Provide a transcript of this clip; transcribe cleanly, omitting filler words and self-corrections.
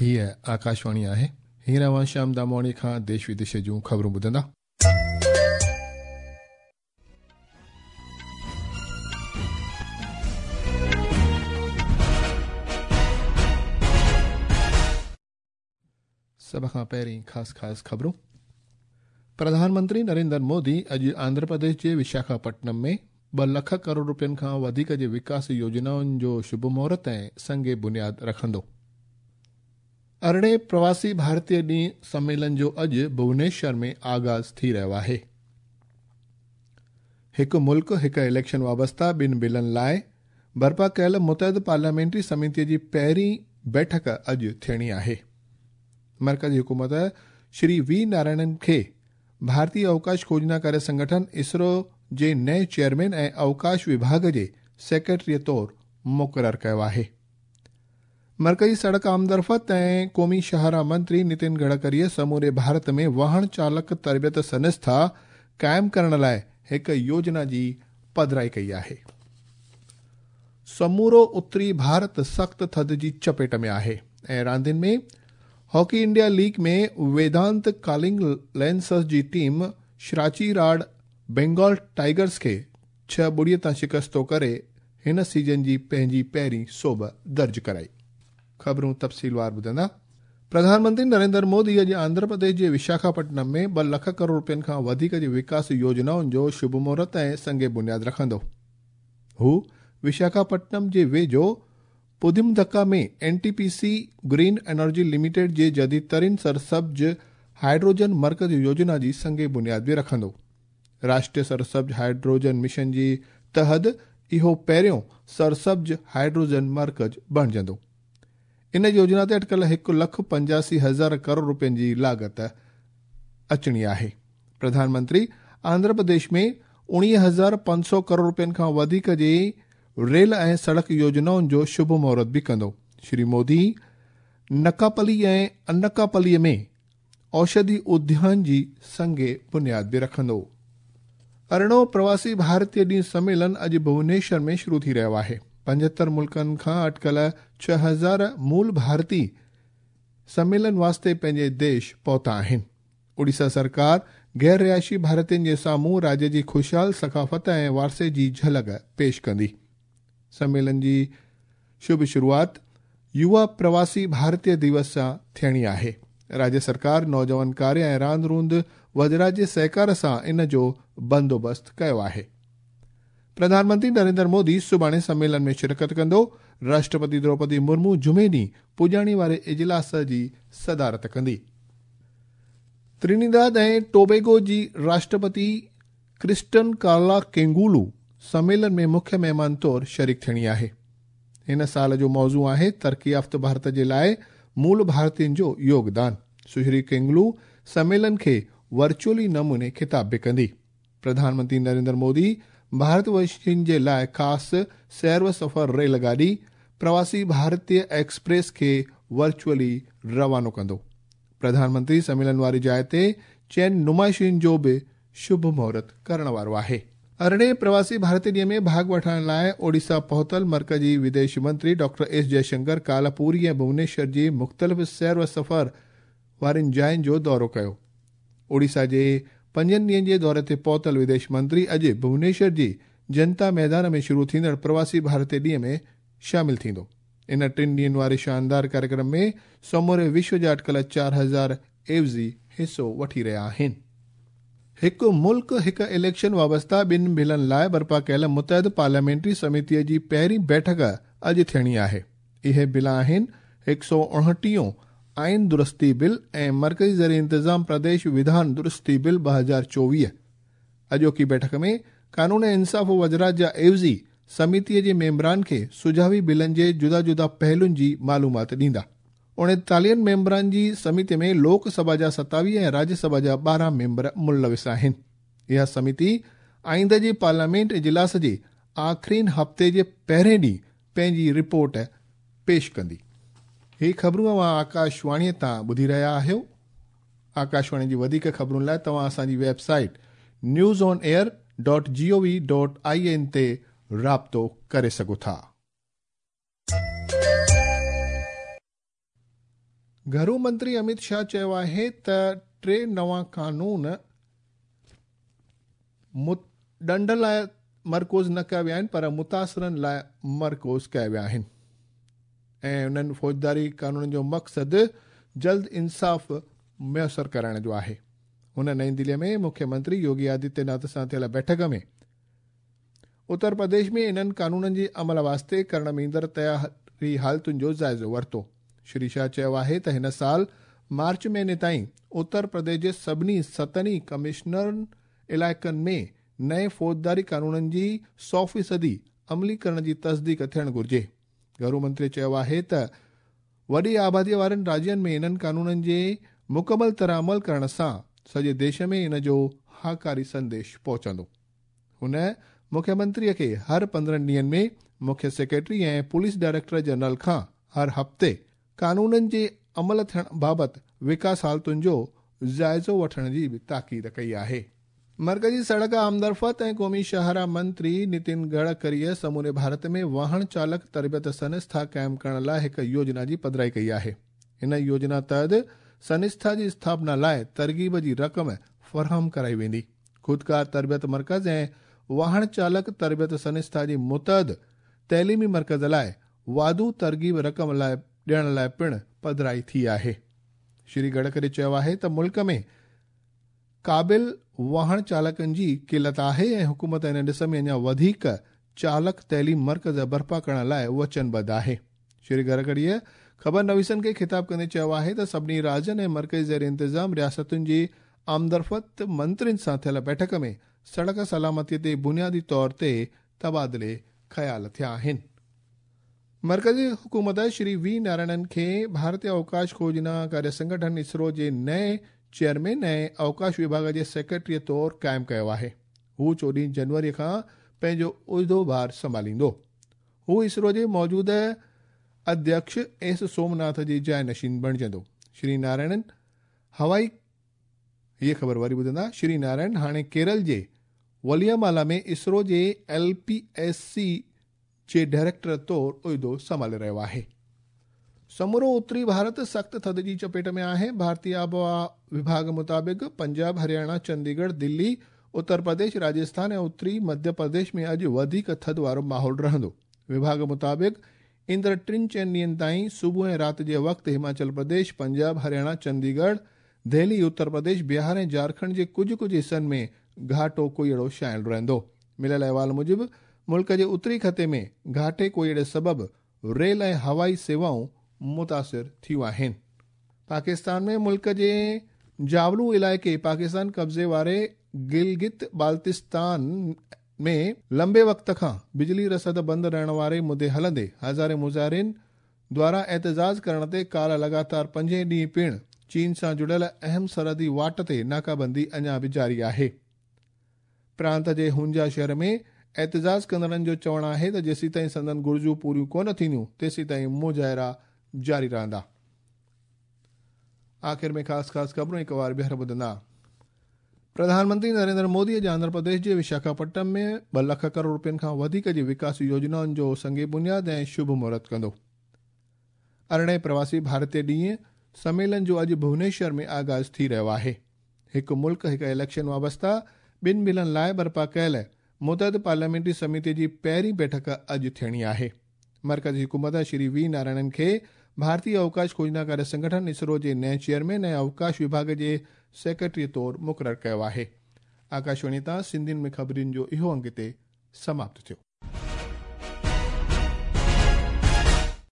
هيء آڪاشواڻي آهي. هينئر اوهان شيام دامواڻي کان ديش وديش جون خبرون ٻڌندا. سڀ کان پهرين خاص خاص خبرون. پرڌان منتري نريندر مودي اڄ آنڌرا پرديش جي وشاکاپٽنم ۾ 2 لک ڪروڙ روپين کان وڌيڪ جي وڪاس يوجنائن جو شڀ مهورت ۽ سنگ بنياد رکندو. 18 پرواسي ڀارتيه ڏينهن سميلن جو اڄ ڀونيشور ۾ آغاز ٿي رهيو آهي. هڪ ملڪ هڪ اليڪشن وابسته ٻن بلن لاء برپا ڪيل متحد پارليامينٽري سميتي جي پهرين بيٺڪ اڄ ٿيڻي آهي. مرڪزي حڪومت شري وي نارائڻن کي ڀارتي اوڪاش کوجنا ڪاريه سنگٺن اسرو جي نئين چيئرمين ۽ اوڪاش وڀاڳ جي سيڪريٽري طور مقرر ڪيو آهي. مرڪزي سڙڪ آمدرفت ۽ قومي شاهراهه منتري نتن گڊڪريء سموري ڀارت ۾ واهڻ چالڪ تربيت سنسٿا قائم ڪرڻ لاء هڪ يوجنا جي پڌرائي ڪئي آهي. سمورو اتري ڀارت سخت ٿڌ جي چپيٽ ۾ آهي ۽ راندين ۾ hockey India league ۾ Vedanta calling lancers جي ٽيم شراچي راڊ بينگال ٽائيگرز کي 6-0 تان شڪستو ڪري هن سيزن جي پنهنجي پهرين سوڀ درج ڪرائي. خبرون تفصيلوار ٻڌندا. پرڌان منتري نريندر مودي اڄ آنڌرا پرديش جي وشاکاپٽنم ۾ 2 لک ڪروڙ روپين کان وڌيڪ جي وڪاس يوجنائن جو شڀ مهورت ۽ سنگ بنياد رکندو. هو وشاکاپٽنم جي ويجهو پوديمڌڪا ۾ N T P C green energy limited جي جديد ترين سرسبز هائيڊروجن مرڪز يوجنا جي سنگ بنياد به رکندو. راشٽريه سرسبز هائيڊروجن مشن جي تحت اهو پهريون سرسبز هائيڊروجن مرڪز بڻجندو. ان يوجنا تي اٽڪل 1,85,000 ڪروڙ روپين جي لاڳت اچڻي آهي. پرڌان منتري آنڌرا پرديش ۾ 19,500 ڪروڙ روپين کان وڌيڪ جي ريل ۽ سڙڪ يوجنائن جو شڀ مهورت به ڪندو. شري مودي نڪاپلي ۽ انڪاپلي ۾ اوشڌي اديان جي سنگ بنياد به رکندو. 18 پرواسي ڀارتيه ڏينهن سميلن اڄ ڀونيشور ۾ شروع ٿي رهيو آهي. 75 ملڪن کان اٽڪل 6000 مول ڀارتي سميلن واسطي پنهنجي ديش پهتا آهن. اڙيسا سرڪار غير رهائشي ڀارتين جي سامهون راجيه جي خوشحال ثقافت ۽ وارثي جي جهلڪ پيش ڪندي. سميلن جي شڀ شروعات يووا پرواسي ڀارتيه ديوس سان ٿيڻي آهي. راجيه سرڪار نوجوان ڪاريه ۽ راند روند وزارت جي سهڪار سان ان جو بندوبست ڪيو آهي. پرڌان منتري نريندر مودي سڀاڻي سميلن ۾ شرڪت ڪندو. راشٽرپتي دروپدي مرمو جمعي ڏينهن پڄاڻي واري اجلاس جي صدارت ڪندي. ترينيداد ۽ ٽوبيگو جي راشٽرپتي ڪرسٽن ڪارلا ڪينگولو سميلن ۾ مکيه مهمان طور شريڪ ٿيڻي آهي. هن سال جو موضوع آهي ترقي يافته ڀارت جي لاء مول ڀارتين جو يوگدان. سشري ڪينگلو سميلن کي ورچوئلي نموني خطاب به ڪندي. پرڌان منتري نريندر مودي ڀارت وشين جي لاء خاص سير و سفر ريل گاڏي پرواسي ڀارتيه ايڪسپريس کي ورچوئلي روانو ڪندو. پرڌان منتري سميلن واري جاء تي چئن نمائشن جو به شڀ مهورت ڪرڻ وارو آهي. 18 پرواسي ڀارتي ڏينهن ۾ ڀاڳ وٺڻ لاء اوڙيسا پهتل مرڪزي وديش منتري ڊاڪٽر ايس جئشنڪر ڪالهه پوري ۽ ڀونيشور جي مختلف سير و سفر وارين جاين جو دورو ڪيو. اوڙيسا جي 5 ڏينهن جي دوري تي پهتل وديش منتري اڄ ڀونيشور جي جنتا ميدان ۾ شروع ٿيندڙ پرواسي ڀارتي ڏينهن ۾ شامل ٿيندو. ان 3 ڏينهن واري شاندار ڪاريڪرم ۾ سموري وشو جا اٽڪل 4000 عيوضي حصو وٺي رهيا آهن. هڪ ملڪ هڪ اليڪشن وابسته ٻن بلن لاء برپا ڪيل متحد پارليامينٽري سميتي جي پهرين بيٺڪ اڄ ٿيڻي آهي. اهي بل آهن 129 آئين درستي بل ۽ مرڪزي زرعي انتظام پرديش وڌان درستي بل 2024. اڄوڪي بيٺڪ ۾ قانون ۽ انصاف وزارت جا عيوضي سميتي جي ميمبران کي سجهاوي بلن جي جدا جدا پهلن جي معلومات ڏيندا. 39 ميمبران جي سميتي ۾ لوڪ سڀا جا 27 ۽ راجيه سڀا جا 12 ميمبر ملوث آهن. اها سميتي آئنده جي پارليامينٽ اجلاس جي آخرين هفتي جي پهرين ڏينهن پنهنجي رپورٽ پيش ڪندي. هي خبرون اوهان آڪاشواڻي تان ٻڌي رهيا آهيو. آڪاشواڻي جي وڌيڪ خبرن لاء توهان اسان جي website news on air dot G O V dot I N تي رابطو ڪري سگهو ٿا. گهرو منتري اميت شاهه چيو آهي ته ٽي نوان قانون ڏنڊ لاء مرڪوز نه ڪيا ويا آهن پر متاثرن لاء مرڪوز ڪيا ويا آهن ۽ انهن فوجداري قانونن جو مقصد جلد انصاف ميسر ڪرائڻ جو آهي. هن نئين دهلي ۾ مکيه منتري يوگي آدتيه ناٿ سان ٿيل بيٺڪ ۾ اتر پرديش ۾ انهن قانونن جي عمل واسطي ڪرڻ ۾ ايندڙ تياري حالتن جو جائزو ورتو. شري شاهه چيو آهي ته هن سال مارچ مهيني تائين اتر پرديش جي سڀني ستن ئي ڪمشنرن علائقن ۾ نئين فوجداري قانونن جي سؤ فيصدي عملي ڪرڻ جي تصديق ٿيڻ گهرجي. گهرو منتري چيو آهي ته وڏي آبادي وارن راجين ۾ انهن قانونن جي مڪمل طرح عمل ڪرڻ سان سڄي ديش ۾ ان جو هاڪاري سنديش پهچندو. هن مکيه منتري کي هر 15 ڏينهن ۾ مکيه سيڪريٽري ۽ پوليس ڊائريڪٽر جنرل کان هر هفتي قانونن جي عمل ٿيڻ بابت وڪاس حالتن جو جائزو وٺڻ جي به تاڪيد ڪئي آهي. مرڪزي سڙڪ آمدرفت ۽ قومي شاهراهه منتري نتن گڊڪريء سموري ڀارت ۾ واهڻ چالڪ تربيت سنسٿا قائم ڪرڻ لاء هڪ يوجنا جي پڌرائي ڪئي آهي. هن يوجنا تحت سنسٿا جي اسٿاپنا لاء ترغيب جي رقم فراهم ڪرائي ويندي. خودڪار تربيت مرڪز ۽ واهڻ چالڪ تربيت سنسٿا جي متعد تعليمي مرڪز لاء واڌو ترغيب رقم لاء ڏيڻ لاء پڻ پڌرائي ٿي آهي. شري گڊڪري چيو آهي ته ملڪ ۾ قابل واهڻ چالڪن جي قلت آهي ۽ حڪومت ان ڏس ۾ اڃا وڌيڪ چالڪ تعليم مرڪز برپا ڪرڻ لاء وچنبڌ آهي. شري گڊڪريء خبر نويسن کي خطاب ڪندي چيو آهي ته سڀني راجين ۽ مرڪزي زير انتظام رياستن جي آمدرفت منترين سان ٿيل بيٺڪ ۾ سڙڪ سلامتي تي بنيادي طور تي تبادلي خيال ٿيا آهن. مرڪزي حڪومت شري وي نارائڻن کي ڀارتي اوڪاش کوجنا ڪاريه سنگٺن اسرو جي نئين چيئرمين ۽ اوڪاش وڀاڳ جي سيڪريٽري طور قائم ڪيو آهي. هو 14 جنوري کان پنهنجو عهدو ڀار سنڀاليندو. هو اسرو جي موجوده اڌيڪش ايس سومناٿ جي جاء نشين بڻجندو. شري نارائڻن هوائي هيء خبر وري ٻڌندا، شري نارائڻ هاڻي ڪيرل جي وليامالا ۾ اسرو جي ايل پي ايس سي جي ڊائريڪٽر طور عهدو سنڀالي رهيو آهي. سمورو اتري ڀارت سخت ٿڌ جي چپيٽ ۾ آهي. ڀارتي آبهوا وڀاڳ مطابق پنجاب، هرياڻا، چنديڳڙهه، دلي، اتر پرديش، راجسٿان ۽ اتري مڌيه پرديش ۾ اڄ وڌيڪ ٿڌ وارو ماحول رهندو. وڀاڳ مطابق ايندڙ ٽن چئن ڏينهن تائين صبح ۽ رات جي وقت هماچل پرديش، پنجاب، هرياڻا، چنديڳڙهه، دهلي، اتر پرديش، بهار ۽ جهارکنڊ جي ڪجهه ڪجهه حصن ۾ گهاٽو ڪوهيڙو ڇانيل رهندو. مليل احوال موجب ملڪ جي اتري خطي ۾ گهاٽي ڪوهيڙي سبب ريل ۽ هوائي سيوائون متاثر ٿيون آهن. پاڪستان ۾ ملڪ جي جاولو علائقي پاڪستان قبضي واري گلگت بالتستان ۾ لنبي وقت کان بجلي رسد بند رهڻ واري مدي هلندي هزارين مظاهرين دواران احتجاج ڪرڻ تي ڪالهه لڳاتار پنجين ڏينهن پڻ چين سان جڙيل اهم سرحدي واٽ تي ناڪابندي اڃا به جاري آهي. پرانت جي هونجا شهر ۾ احتجاج ڪندڙن جو چوڻ آهي ته جيسيتائين سندن گهرجون پوريون ڪونه ٿينديون تيسيتائين مظاهرا جاري رهندا. آخر ۾ خاص خاص خبرون هڪ وار ٻيهر ٻڌندا. پرڌان منتري نريندر مودي اڄ آنڌرا پرديش جي وشاکاپٽنم ۾ 2 لک ڪروڙ روپين کان وڌيڪ جي وڪاسي يوجنائن جو سنگ بنياد ۽ شڀ مهورت ڪندو. ارڙهين پرواسي ڀارتي ڏينهن سميلن جو اڄ ڀونيشور ۾ آغاز ٿي رهيو آهي. هڪ ملڪ هڪ اليڪشن وابسته ٻن بلن لاء برپا ڪيل متحد پارليامينٽري سميتي جي پهرين بيٺڪ اڄ ٿيڻي آهي. مرڪزي حڪومت شري وي نارائڻن کي ڀارتي اوڪاش کوجنا ڪاريه سنگٺن اسرو جي نئين چيئرمين ۽ اوڪاش وڀاڳ جي سيڪريٽري طور مقرر ڪيو آهي. آڪاشواڻي تان سنڌين ۾ خبرن جو اهو انگ هتي سماپت ٿيو.